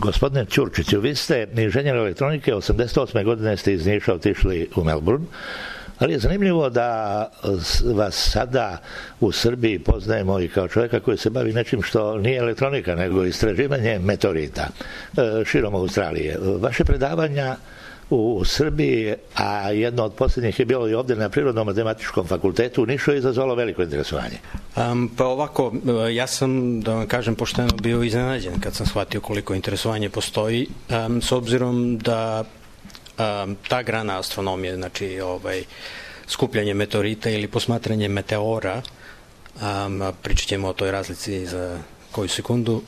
Gospodine Ćurčiću, vi ste inženjer elektronike, 88. godine ste iz Niša otišli u Melbourne, ali je zanimljivo da vas sada u Srbiji poznajemo i kao čovjeka koji se bavi nečim što nije elektronika, nego istraživanje meteorita širom Australije. Vaše predavanja u Srbiji, a jedno od posljednjih je bilo i ovdje na Prirodno-matematičkom fakultetu u Nišu, je izazvalo veliko interesovanje. Pa ovako, ja sam, da vam kažem pošteno, bio iznenađen kad sam shvatio koliko interesovanje postoji, s obzirom da ta grana astronomije, znači skupljanje meteorita ili posmatranje meteora, pričat ćemo o toj razlici za koju sekundu,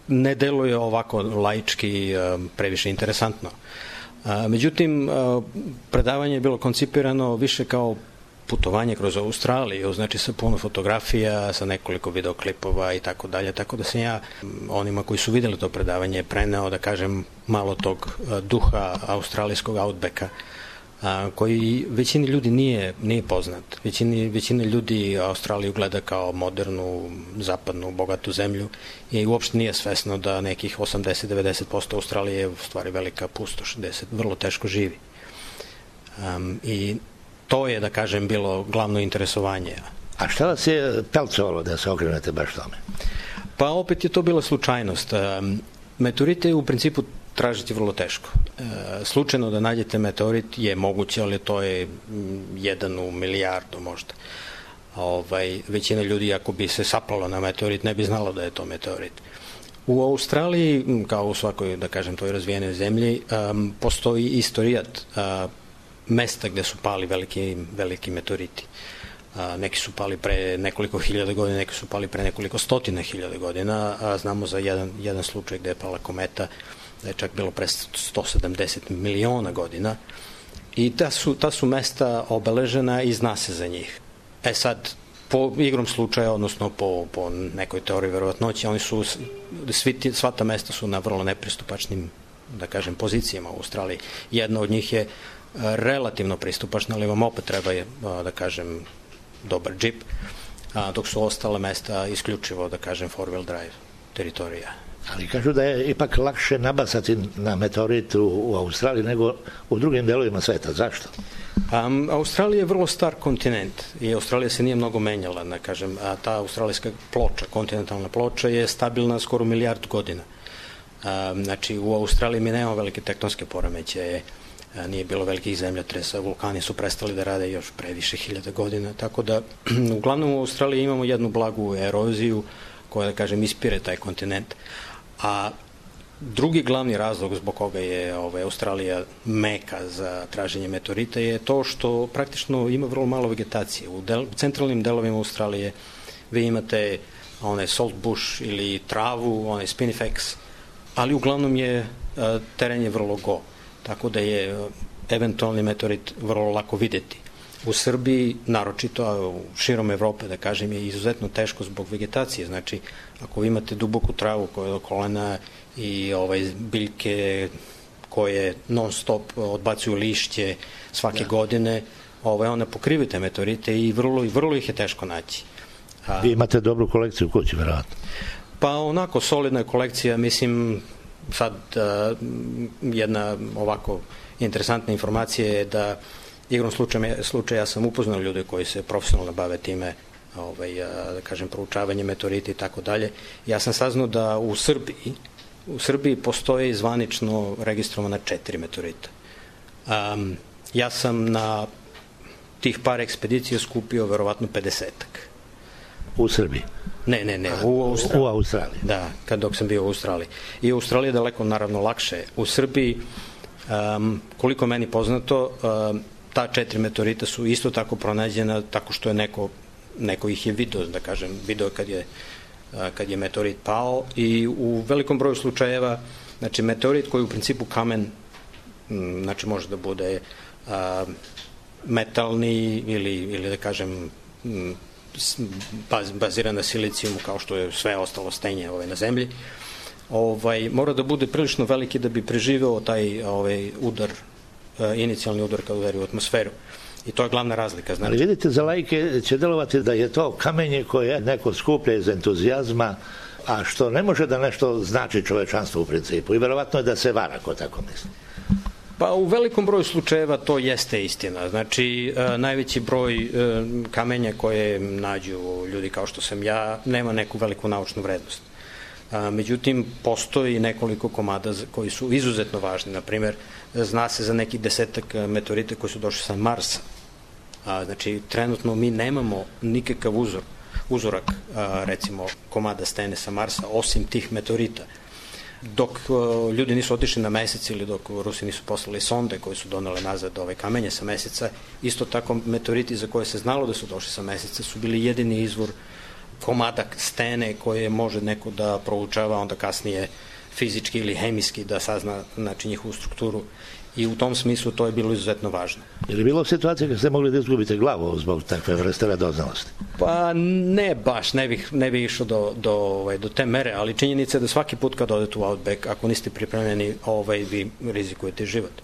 ne deluje ovako laički previše interesantno. Međutim, predavanje je bilo koncipirano više kao putovanje kroz Australiju, znači sa puno fotografija, sa nekoliko videoklipova i tako dalje, tako da sam ja onima koji su videli to predavanje preneo, da kažem, malo tog duha australijskog outbacka, koji većini ljudi nije poznat. Većina ljudi Australiju gleda kao modernu, zapadnu, bogatu zemlju i uopšte nije svesno da nekih 80-90% Australije je u stvari velika pustoš, gde se vrlo teško živi. I to je, da kažem, bilo glavno interesovanje. A šta vas je pelcovalo da se okrenete baš tome? Pa opet je to bila slučajnost. Meteorite u principu tražiti vrlo teško. Slučajno da nađete meteorit je moguće, ali to je 1 u milijardu možda. Većina ljudi, ako bi se saplalo na meteorit, ne bi znalo da je to meteorit. U Australiji, kao u svakoj, da kažem, toj razvijenoj zemlji, postoji istorijat mesta gde su pali veliki meteoriti. Neki su pali pre nekoliko hiljada godina, neki su pali pre nekoliko stotina hiljada godina, a znamo za jedan slučaj gde je pala kometa, da je čak bilo pre 170 miliona godina, i ta su mesta obeležena i zna se za njih. Sad, po igrom slučaja, odnosno po nekoj teoriji verovatnoće, sva ta mesta su na vrlo nepristupačnim, da kažem, pozicijama u Australiji. Jedna od njih je relativno pristupačna, ali vam opet treba, da kažem, dobar džip, dok su ostale mesta isključivo, da kažem, four-wheel drive teritorija. Ali kažu da je ipak lakše nabasati na meteorit u Australiji nego u drugim delovima sveta. Zašto? Australija je vrlo star kontinent i Australija se nije mnogo menjala, da kažem, a ta australijska ploča, kontinentalna ploča, je stabilna skoro 1 milijardu godina. Znači, u Australiji mi nemamo velike tektonske poremećaje, nije bilo velikih zemljotresa, vulkani su prestali da rade još pre više hiljada godina, tako da uglavnom u Australiji imamo jednu blagu eroziju koja, da kažem, ispire taj kontinent. A drugi glavni razlog zbog koga je Australija meka za traženje meteorita je to što praktično ima vrlo malo vegetacije. U centralnim delovima Australije vi imate salt bush ili travu, spinifex, ali uglavnom je teren je vrlo go, tako da je eventualni meteorit vrlo lako videti. U Srbiji, naročito, a širom Evrope, da kažem, je izuzetno teško zbog vegetacije. Znači, ako vi imate duboku travu koja je do kolena i biljke koje non stop odbacuju lišće svake godine, one pokrivaju te meteorite i vrlo ih je teško naći. Vi imate dobru kolekciju u kući, verovatno? Pa onako, solidna kolekcija, mislim, sad jedna ovako interesantna informacija je da igrom slučaja sam upoznao ljude koji se profesionalno bave time, da kažem, proučavanje meteorita i tako dalje. Ja sam saznao da u Srbiji postoje zvanično registrovana 4 meteorita. Ja sam na tih par ekspedicija skupio verovatno 50-ak. U Srbiji? Ne, u Australiji. Da, dok sam bio u Australiji. I u Australiji je daleko, naravno, lakše. U Srbiji, koliko meni poznato, ta 4 meteorita su isto tako pronađena tako što je neko ih je video, da kažem, video kad je meteorit pao, i u velikom broju slučajeva, znači, meteorit koji je u principu kamen, znači, može da bude metalni ili da kažem baziran na silicijumu, kao što je sve ostalo stenje na zemlji, mora da bude prilično veliki da bi preživeo taj udar, inicijalni udar kad udari u atmosferu. I to je glavna razlika. Ali vidite, za laike će delovati da je to kamenje koje neko skuplja iz entuzijazma a što ne može da nešto znači čovečanstvo u principu. I verovatno je da se vara ko tako misli. Pa u velikom broju slučajeva to jeste istina. Znači, najveći broj kamenja koje nađu ljudi kao što sam ja nema neku veliku naučnu vrednost. Međutim, postoji nekoliko komada koji su izuzetno važni. Naprimer, zna se za nekih 10 meteorita koji su došli sa Marsa. Znači, trenutno mi nemamo nikakav uzorak, recimo, komada stene sa Marsa, osim tih meteorita. Dok ljudi nisu otišli na mesec ili dok Rusi nisu poslali sonde koje su donele nazad ove kamenje sa meseca, isto tako meteoriti za koje se znalo da su došli sa meseca su bili jedini izvor komada stene koje može neko da proučava, onda kasnije fizički ili hemijski da sazna, znači, njihovu strukturu. I u tom smislu to je bilo izuzetno važno. Je li bilo situacije kad ste mogli da izgubite glavu zbog takve vrste radoznalosti? Pa ne baš, ne bih išao do te mere, ali činjenica je da svaki put kad odete u Outback, ako niste pripremljeni, vi rizikujete život.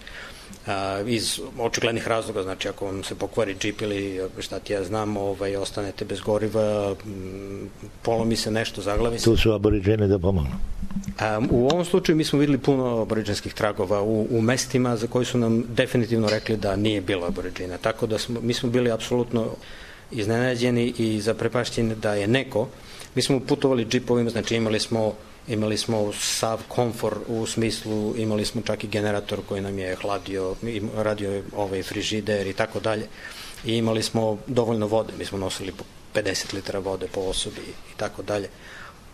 Iz očiglednih razloga, znači ako vam se pokvari džip ili šta ti ja znam, ostanete bez goriva, polomi se nešto, zaglavi se. Tu su aboriđeni da pomognu. U ovom slučaju mi smo videli puno aboriđenskih tragova u mestima za koji su nam definitivno rekli da nije bilo aboriđena. Tako da mi smo bili apsolutno iznenađeni i zaprepašćeni da je neko. Mi smo putovali džipovima, znači imali smo sav komfor u smislu, imali smo čak i generator koji nam je hladio, radio frižider i tako dalje. I imali smo dovoljno vode, mi smo nosili 50 litara vode po osobi i tako dalje.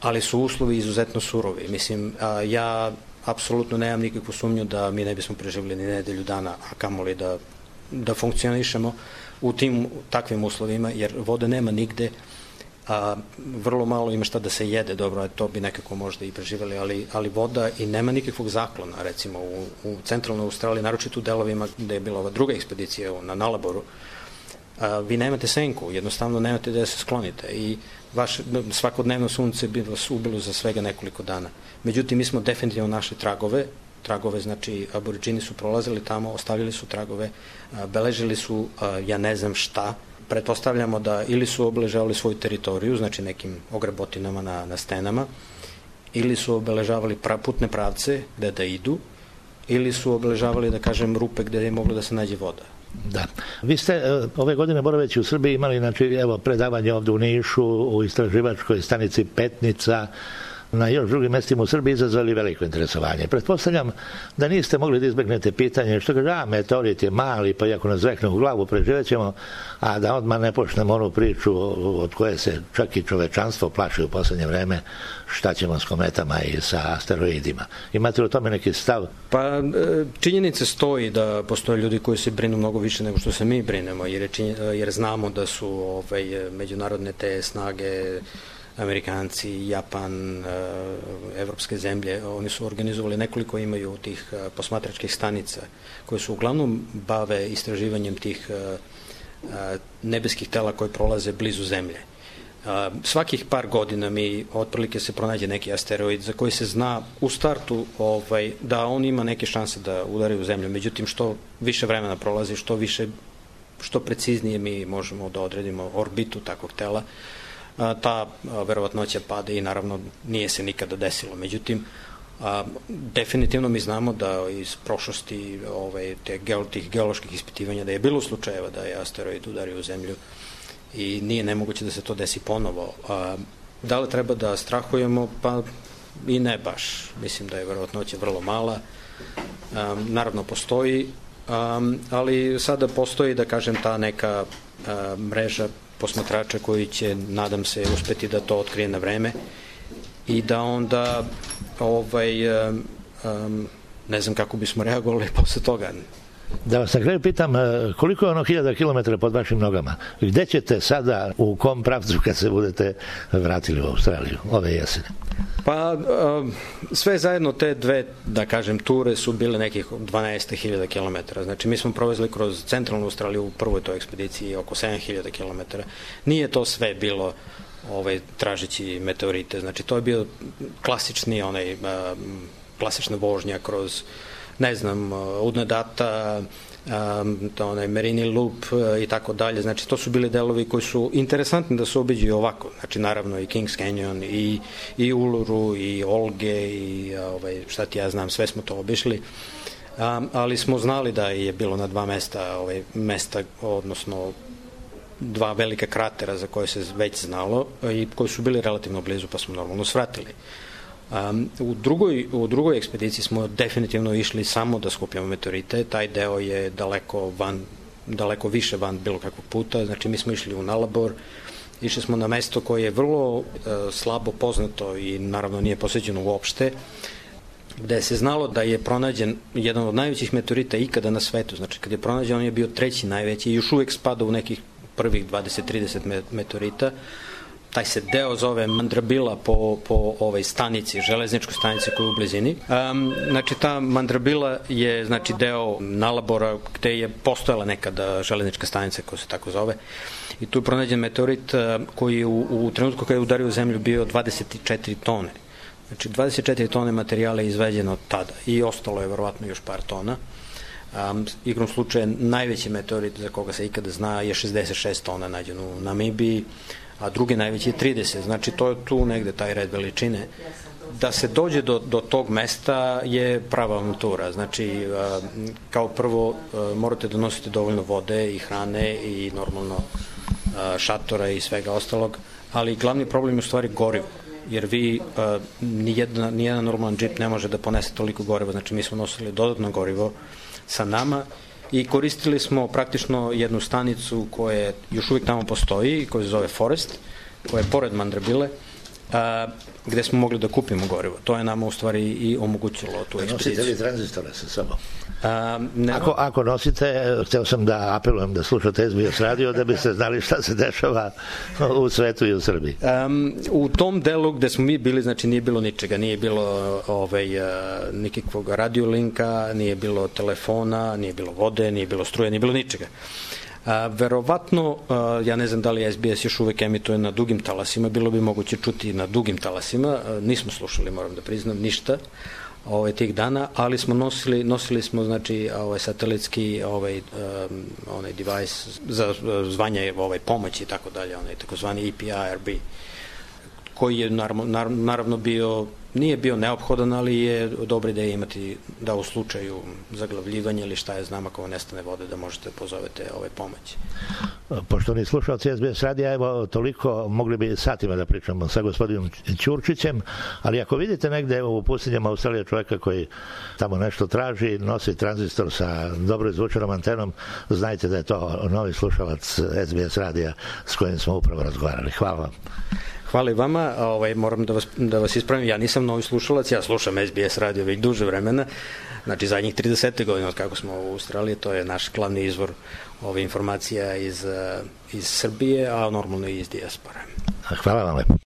Ali su uslovi izuzetno surovi. Mislim, ja apsolutno nemam nikakvu sumnju da mi ne bismo preživjeli ni nedelju dana, a kamoli da funkcionišemo u tim takvim uslovima, jer vode nema nigde, vrlo malo ima šta da se jede, dobro, to bi nekako možda i preživjeli, ali voda i nema nikakvog zaklona, recimo u centralnoj Australiji, naročito u delovima gde je bila ova druga ekspedicija na Nalaboru, vi nemate senku, jednostavno nemate da se sklonite i svakodnevno sunce bi vas ubilo za svega nekoliko dana. Međutim, mi smo definitivno našli tragove, znači aboriđini su prolazili tamo, ostavili su tragove, beležili su, ja ne znam šta, pretpostavljamo da ili su obeležavali svoju teritoriju, znači nekim ogrebotinama na stenama, ili su obeležavali putne pravce gde da idu, ili su obeležavali, da kažem, rupe gde je moglo da se nađe voda. Da. Vi ste ove godine boraveći u Srbiji imali, znači, evo, predavanje ovde u Nišu, u istraživačkoj stanici Petnica, na još drugim mestima u Srbiji izazvali veliko interesovanje. Pretpostavljam da niste mogli da izbegnete pitanje što kaže, meteorit je mali, pa iako nas zvekne u glavu, preživećemo, a da odmah ne počnemo onu priču od koje se čak i čovečanstvo plaši u poslednje vreme, šta ćemo s kometama i sa asteroidima. Imate li o tome neki stav? Pa činjenica stoji da postoje ljudi koji se brinu mnogo više nego što se mi brinemo, jer znamo da su međunarodne te snage, Amerikanci, Japan, evropske zemlje, oni su organizovali nekoliko, imaju tih posmatračkih stanica koje su uglavnom bave istraživanjem tih nebeskih tela koje prolaze blizu zemlje. Svakih par godina mi otprilike se pronađe neki asteroid za koji se zna u startu da on ima neke šanse da udari u zemlju. Međutim, što više vremena prolazi, što preciznije mi možemo da odredimo orbitu takvog tela, ta verovatnoća pada i naravno nije se nikada desilo. Međutim, definitivno mi znamo da iz prošlosti tih geoloških ispitivanja da je bilo slučajeva da je asteroid udario u zemlju i nije nemoguće da se to desi ponovo. Da li treba da strahujemo? Pa i ne baš. Mislim da je verovatnoća vrlo mala. Naravno postoji, ali sada postoji, da kažem, ta neka mreža posmatrača koji će, nadam se, uspeti da to otkrije na vreme i da onda ne znam kako bismo reagovali posle toga. Da vas na kraju pitam, koliko je ono 1000 kilometara pod vašim nogama? Gde ćete sada, u kom pravcu kad se budete vratili u Australiju ove jesene? Pa sve zajedno te dve, da kažem, ture su bile nekih 12.000 kilometara. Znači mi smo provezli kroz centralnu Australiju u prvoj toj ekspediciji oko 7.000 kilometara. Nije to sve bilo tražeći meteorite. Znači to je bio klasična vožnja kroz, ne znam, Udnadata, onaj Merini Loop i tako dalje. Znači, to su bili delovi koji su interesantni da se obiđu ovako. Znači, naravno i Kings Canyon i Uluru i Olge i šta ti ja znam, sve smo to obišli. Ali smo znali da je bilo na dva mesta, odnosno dva velika kratera za koje se već znalo i koji su bili relativno blizu, pa smo normalno svratili. U drugoj ekspediciji smo definitivno išli samo da skupljamo meteorite. Taj deo je daleko više van bilo kakvog puta. Znači, mi smo išli u Nalabor, išli smo na mesto koje je vrlo slabo poznato i naravno nije posećeno uopšte, gde se znalo da je pronađen jedan od najvećih meteorita ikada na svetu. Znači, kad je pronađen, on je bio treći najveći i još uvek spada u nekih prvih 20-30 meteorita. Taj se deo zove Mandrabila po stanici, železničkoj stanici koja je u blizini. Znači, ta Mandrabila je deo Nalabora gde je postojala nekada železnička stanica koja se tako zove. I tu je pronađen meteorit koji je u trenutku kada je udario u zemlju bio 24 tone. Znači, 24 tone materijala je izveđeno od tada i ostalo je verovatno još par tona. Igrom slučaja, najveći meteorit za koga se ikada zna je 66 tona nađen u Namibiji, a drugi najveći je 30. Znači, to je tu negde taj red veličine. Da se dođe do tog mesta je prava avantura. Znači, kao prvo morate da nosite dovoljno vode i hrane i normalno šatora i svega ostalog, ali glavni problem je u stvari gorivo, jer vi nijedan normalan džip ne može da ponese toliko goriva. Znači, mi smo nosili dodatno gorivo sa nama i koristili smo praktično jednu stanicu koja još uvijek tamo postoji, koja se zove Forest, koja je pored Mandrabile, gde smo mogli da kupimo gorivo. To je nama u stvari i omogućilo tu ekspediciju. Nosite li tranzistore sa sobom? Ako nosite, hteo sam da apelujem da slušate SBS radio da biste znali šta se dešava u svetu i u Srbiji. U tom delu gde smo mi bili, znači nije bilo ničega, nije bilo nikakvog radiolinka, nije bilo telefona, nije bilo vode, nije bilo struje, nije bilo ničega. Verovatno, ja ne znam da li SBS još uvek emituje na dugim talasima, bilo bi moguće čuti na dugim talasima, nismo slušali, moram da priznam, ništa tih dana, ali smo nosili smo, znači, satelitski onaj device za zvanje pomoći i tako dalje, onaj takozvani EPIRB, koji je naravno nije bio neophodan, ali je dobro da je imati da u slučaju zaglavljivanja ili šta je znam, ako vam nestane vode, da možete pozovete pomoći. Poštovani slušalci SBS radija, evo toliko, mogli bi satima da pričamo sa gospodinom Ćurčićem, ali ako vidite negde u pustinjama Australije čoveka koji tamo nešto traži, nosi tranzistor sa dobro izvučenom antenom, znajte da je to novi slušalac SBS radija s kojim smo upravo razgovarali. Hvala vam. Hvala i vama. Moram da vas ispravim, ja nisam novi slušalac, ja slušam SBS radio već duže vremena, znači zadnjih 30 godina od kako smo u Australiji, to je naš glavni izvor ove informacija iz Srbije, a normalno i iz dijaspore. Hvala vam lepo.